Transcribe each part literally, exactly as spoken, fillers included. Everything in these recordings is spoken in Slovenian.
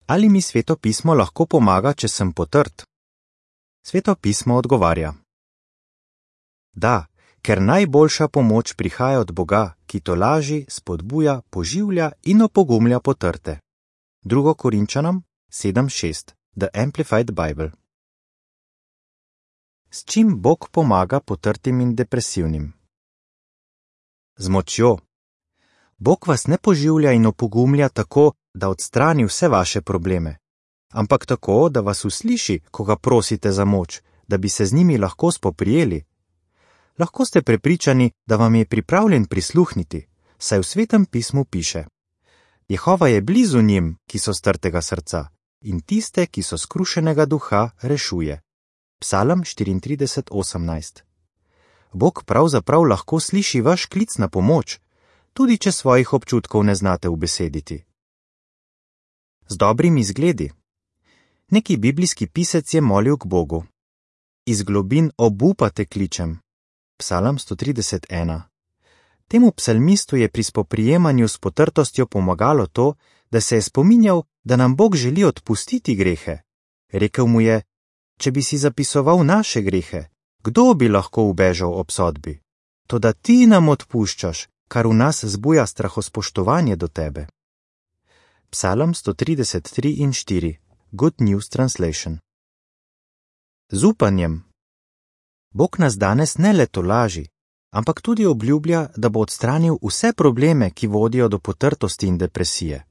Ali mi Sveto pismo lahko pomaga, če sem potrt? Sveto pismo odgovarja: Da, ker najboljša pomoč prihaja od Boga, ki tolaži, spodbuja, poživlja in opogumlja potrte. Drugo Korinčanom sedem šest, The Amplified Bible. S čim Bog pomaga potrtim in depresivnim? Z močjo. Bog vas ne poživlja in opogumlja tako, da odstrani vse vaše probleme, ampak tako, da vas usliši, ko ga prosite za moč, da bi se z njimi lahko spoprijeli. Lahko ste prepričani, da vam je pripravljen prisluhniti, saj v Svetem pismu piše: Jehova je blizu njim, ki so strtega srca, in tiste, ki so skrušenega duha, rešuje. Psalm štiriintrideset osemnajst. Bog pravzaprav lahko sliši vaš klic na pomoč, tudi če svojih občutkov ne znate ubesediti. Z dobrimi izgledi. Neki biblijski pisec je molil k Bogu: Iz globin obupa te kličem. Psalm sto trideset ena. Temu psalmistu je pri spoprijemanju s potrtostjo pomagalo to, da se je spominjal, da nam Bog želi odpustiti grehe. Rekel mu je: Če bi si zapisoval naše grehe, kdo bi lahko ubežal obsodbi? Toda ti nam odpuščaš, kar v nas zbuja strahospoštovanje do tebe. Psalm sto trideset tri in štiri. Good News Translation. Z upanjem. Bog nas danes ne le tolaži, ampak tudi obljublja, da bo odstranil vse probleme, ki vodijo do potrtosti in depresije.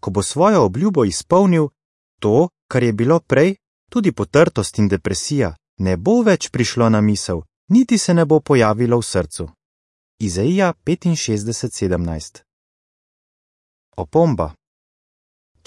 Ko bo svojo obljubo izpolnil, to, kar je bilo prej, tudi potrtost in depresija, ne bo več prišlo na misel, niti se ne bo pojavilo v srcu. Izaija petinšestdeset sedemnajst. Opomba.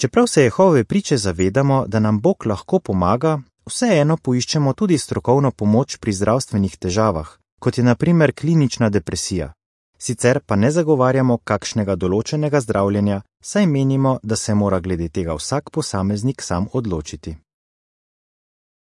Čeprav se Jehove priče zavedamo, da nam Bog lahko pomaga, vseeno poiščemo tudi strokovno pomoč pri zdravstvenih težavah, kot je na primer klinična depresija. Sicer pa ne zagovarjamo kakšnega določenega zdravljenja, saj menimo, da se mora glede tega vsak posameznik sam odločiti.